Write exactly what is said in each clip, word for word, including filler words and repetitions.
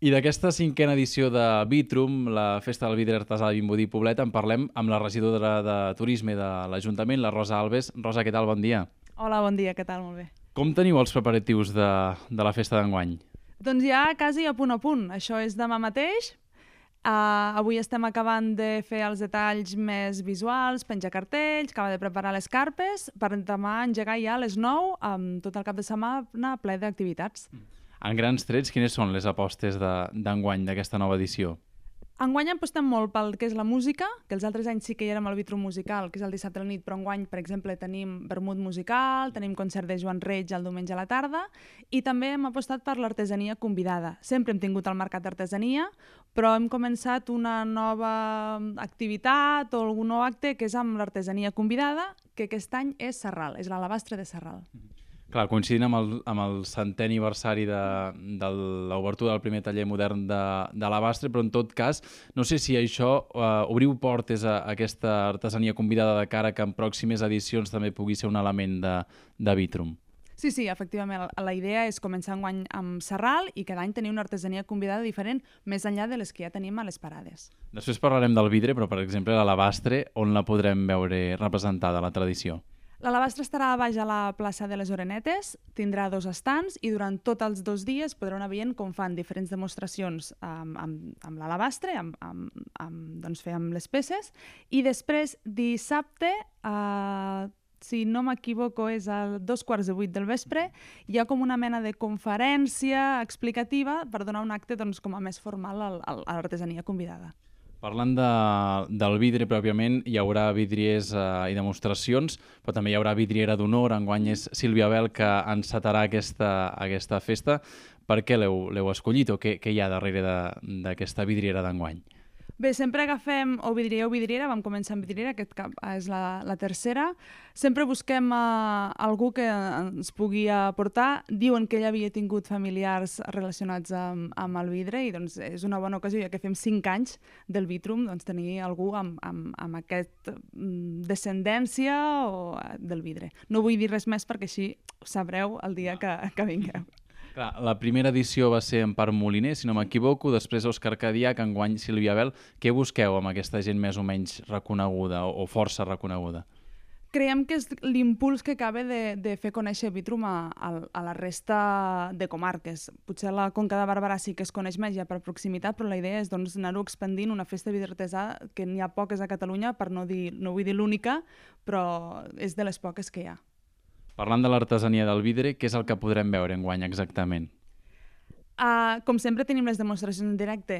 I d'aquesta cinquena edició de Vitrum, la Festa del Vidre Artesà de Vimbodí i Poblet, en parlem amb la regidora de Turisme de l'Ajuntament, la Rosa Alves. Rosa, què tal? Bon dia. Hola, bon dia, què tal? Molt bé. Com teniu els preparatius de, de la festa d'enguany? Doncs ja quasi a punt a punt. Això és demà mateix. Uh, avui estem acabant de fer els detalls més visuals, penjar cartells, acabar de preparar les carpes, per demà engegar ja a les nou amb tot el cap de setmana ple d'activitats. En grans trets, quines són les apostes d'enguany d'aquesta nova edició? Enguany apostem molt pel que és la música, que els altres anys sí que hi érem al Vitrum musical, que és el dissabte a la nit, però enguany, per exemple, tenim vermut musical, tenim concert de Joan Reig el diumenge a la tarda, i també hem apostat per l'artesania convidada. Sempre hem tingut el mercat d'artesania, però hem començat una nova activitat o algun nou acte que és amb l'artesania convidada, que aquest any és Sarral, és l'alabastre de Sarral. Clar, coincidint amb el, amb el centè aniversari de, de l'obertura del primer taller modern de, de l'Alabastre, però en tot cas, no sé si això eh, obriu portes a, a aquesta artesania convidada de cara que en pròximes edicions també pugui ser un element de, de Vitrum. Sí, sí, efectivament. La idea és començar enguany amb Sarral i cada any tenir una artesania convidada diferent més enllà de les que ja tenim a les parades. Després parlarem del vidre, però per exemple l'Alabastre, on la podrem veure representada, la tradició? L'Alabastre estarà a baix a la plaça de les Orenetes, tindrà dos estants i durant tots els dos dies podreu anar veient com fan diferents demostracions amb, amb, amb l'Alabastre, amb, amb, amb, doncs fer amb les peces, i després dissabte, eh, si no m'equivoco és a dos quarts de vuit del vespre, hi ha com una mena de conferència explicativa per donar un acte doncs, com a més formal a, a l'artesania convidada. Parlant de, del vidre pròpiament, hi haurà vidriers eh, i demostracions, però també hi haurà vidriera d'honor. Enguany és Sílvia Bel que encetarà aquesta, aquesta festa. Per què l'heu escollit o què, què hi ha darrere d'aquesta vidriera d'enguany? Bé, sempre agafem o vidriera o vidriera, vam començar amb vidriera, aquest cap és la, la tercera. Sempre busquem uh, algú que ens pugui aportar. Diuen que ella havia tingut familiars relacionats amb, amb el vidre i doncs, és una bona ocasió, ja que fem cinc anys del Vitrum, doncs, tenir algú amb, amb, amb aquesta descendència o, del vidre. No vull dir res més perquè així ho sabreu el dia que, que vingueu. Clar, la primera edició va ser en Parc Moliner, si no m'equivoco, després Òscar Cadiac, enguany Sílvia Bel. Què busqueu amb aquesta gent més o menys reconeguda o força reconeguda? Creiem que és l'impuls que acaba de, de fer conèixer Vitrum a, a, a la resta de comarques. Potser la Conca de Barberà sí que es coneix més ja per proximitat, però la idea és doncs, anar-ho expandint, una festa de vidre artesà que n'hi ha poques a Catalunya, per no dir, no vull dir l'única, però és de les poques que hi ha. Parlant de l'artesania del vidre, què és el que podrem veure enguany exactament? Uh, com sempre tenim les demostracions en directe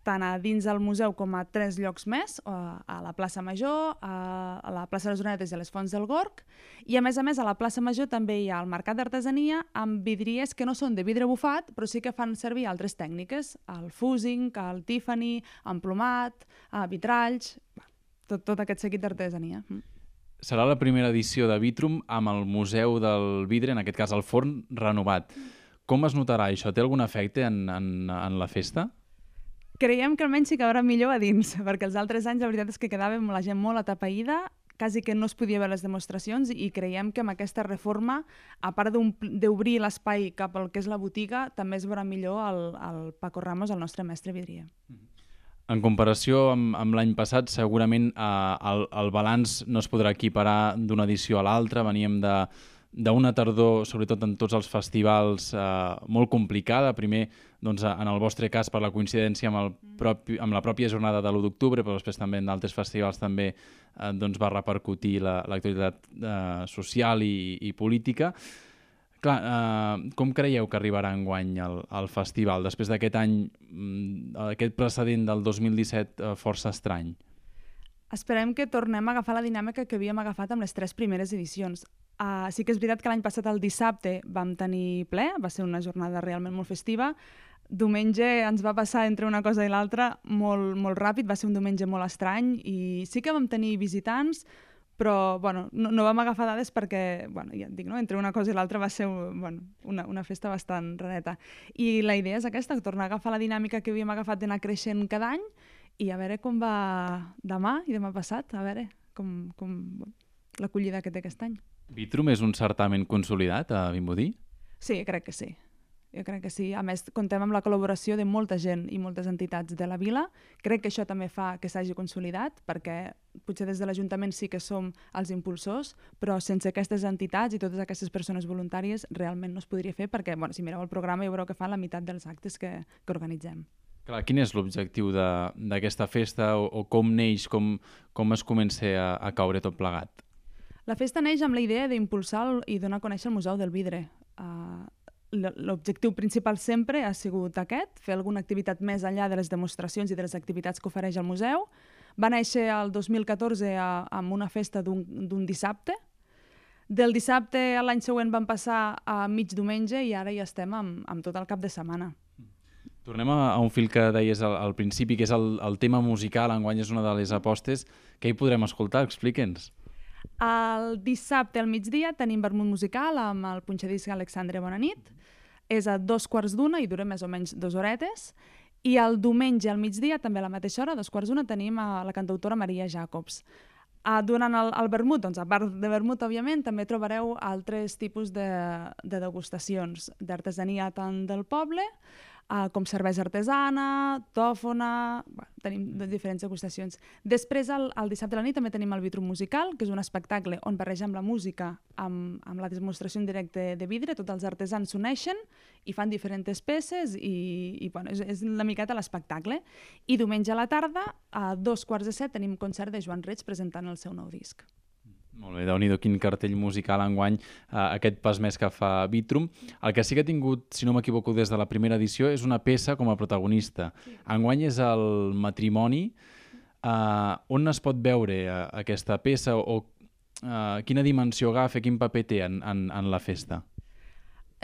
tant a dins del museu com a tres llocs més, uh, a la plaça Major, uh, a la plaça de les Orenetes i a les Fonts del Gorg, i a més a més a la plaça Major també hi ha el mercat d'artesania amb vidriers que no són de vidre bufat, però sí que fan servir altres tècniques, el fusing, el Tiffany, emplomat, uh, vitralls, tot, tot aquest seguit d'artesania. Mm. Serà la primera edició de Vitrum amb el Museu del Vidre, en aquest cas el forn, renovat. Com es notarà això? Té algun efecte en, en, en la festa? Creiem que almenys s'hi cabrà millor a dins, perquè els altres anys la veritat és que quedàvem la gent molt atapeïda, quasi que no es podia veure les demostracions i creiem que amb aquesta reforma, a part d'obrir l'espai cap al que és la botiga, també es veurà millor el, el Paco Ramos, el nostre mestre vidrier. Mm-hmm. En comparació amb, amb l'any passat, segurament eh, el, el balanç no es podrà equiparar d'una edició a l'altra. Veníem d'una tardor, sobretot en tots els festivals, eh, molt complicada. Primer, doncs, en el vostre cas, per la coincidència amb, el propi, amb la pròpia jornada de l'u d'octubre, però després també en d'altres festivals també eh, doncs, va repercutir l'actualitat eh, social i, i política. Clar, eh, com creieu que arribarà enguany el, el festival, després d'aquest any, aquest precedent del dos mil disset eh, força estrany? Esperem que tornem a agafar la dinàmica que havíem agafat amb les tres primeres edicions. Uh, sí que és veritat que l'any passat, el dissabte, vam tenir ple, va ser una jornada realment molt festiva. Diumenge ens va passar entre una cosa i l'altra molt, molt ràpid, va ser un diumenge molt estrany i sí que vam tenir visitants, però bueno, no, no vam agafar dades perquè, bueno, ja et dic, no? Entre una cosa i l'altra va ser bueno, una, una festa bastant rareta. I la idea és aquesta, tornar a agafar la dinàmica que havíem agafat d'anar creixent cada any i a veure com va demà i demà passat, a veure com, com l'acollida que té aquest any. Vitrum és un certamen consolidat a Vimbodí? Sí, crec que sí. Jo crec que sí. A més, contem amb la col·laboració de molta gent i moltes entitats de la vila. Crec que això també fa que s'hagi consolidat, perquè potser des de l'Ajuntament sí que som els impulsors, però sense aquestes entitats i totes aquestes persones voluntàries realment no es podria fer, perquè bueno, si mireu el programa ja veureu que fan la meitat dels actes que, que organitzem. Clar, quin és l'objectiu d'aquesta festa o, o com neix, com, com es comença a, a caure tot plegat? La festa neix amb la idea d'impulsar i donar a conèixer el Museu del Vidre. Uh, L'objectiu principal sempre ha sigut aquest, fer alguna activitat més enllà de les demostracions i de les activitats que ofereix el museu. Va néixer el dos mil catorze a, amb una festa d'un dissabte. Del dissabte a l'any següent vam passar a mig diumenge i ara ja estem amb, amb tot el cap de setmana. Tornem a, a un fil que deies al, al principi, que és el, el tema musical. Enguany és una de les apostes. Què hi podrem escoltar? Explica'ns. El dissabte al migdia tenim vermut musical amb el punxadisc Alexandre Bonanit. És a dos quarts d'una i dura més o menys dues horetes. I el diumenge al migdia, també a la mateixa hora, a dos quarts d'una, tenim a la cantautora Maria Jacobs. Uh, durant el, el vermut, doncs, a part de vermut, òbviament, també trobareu altres tipus de, de degustacions d'artesania tant del poble, uh, com cervesa artesana, tòfona... Bueno, tenim diferents degustacions. Després, el, el dissabte a la nit, també tenim el Vitrum Musical, que és un espectacle on barregem la música amb, amb la demostració en directe de vidre. Tots els artesans s'uneixen i fan diferents peces i, i bueno, és, és una miqueta l'espectacle. I diumenge a la tarda, a dos quarts de set, tenim concert de Joan Reig presentant el seu nou disc. Molt bé, déu-n'hi-do quin cartell musical enguany, eh, aquest pas més que fa Vitrum. El que sí que ha tingut, si no m'equivoco, des de la primera edició és una peça com a protagonista. Sí. Enguany és el matrimoni. Eh, on es pot veure eh, aquesta peça o eh, quina dimensió agafa, quin paper té en, en, en la festa?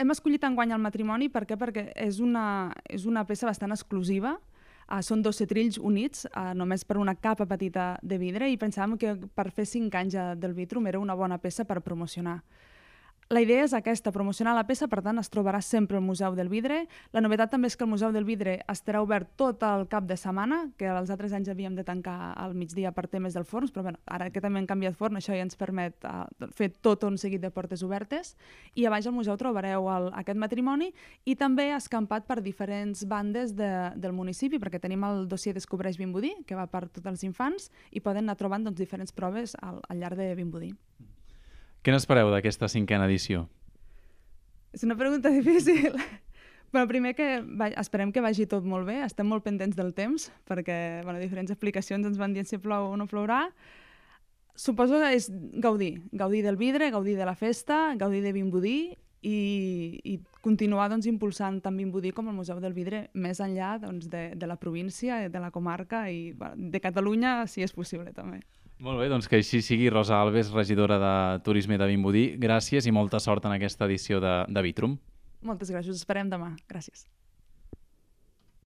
Hem escollit enguany el matrimoni per què? Perquè és una, és una peça bastant exclusiva. Uh, són dos setrills units, uh, només per una capa petita de vidre, i pensàvem que per fer cinc anys del Vitrum era una bona peça per promocionar. La idea és aquesta, promocionar la peça, per tant es trobarà sempre al Museu del Vidre. La novetat també és que el Museu del Vidre estarà obert tot el cap de setmana, que els altres anys havíem de tancar al migdia per temes del forns, però bueno, ara que també hem canviat forn, això ja ens permet uh, fer tot un seguit de portes obertes. I a baix al museu trobareu el, aquest matrimoni i també escampat per diferents bandes de, del municipi, perquè tenim el dossier Descobreix Vimbodí, que va per tots els infants, i poden anar trobant doncs, diferents proves al, al llarg de Vimbodí. Què n'espereu d'aquesta cinquena edició? És una pregunta difícil. Però primer que va, esperem que vagi tot molt bé, estem molt pendents del temps, perquè bueno, diferents aplicacions ens van dir si plou o no plourà. Suposo que és gaudir, gaudir del vidre, gaudir de la festa, gaudir de Vimbodí i, i continuar doncs, impulsant tant Vimbodí com el Museu del Vidre més enllà doncs, de, de la província, de la comarca i bueno, de Catalunya, si és possible també. Molt bé, doncs que així sigui. Rosa Alves, regidora de Turisme de Vimbodí, gràcies i molta sort en aquesta edició de, de Vitrum. Moltes gràcies, us esperem demà. Gràcies.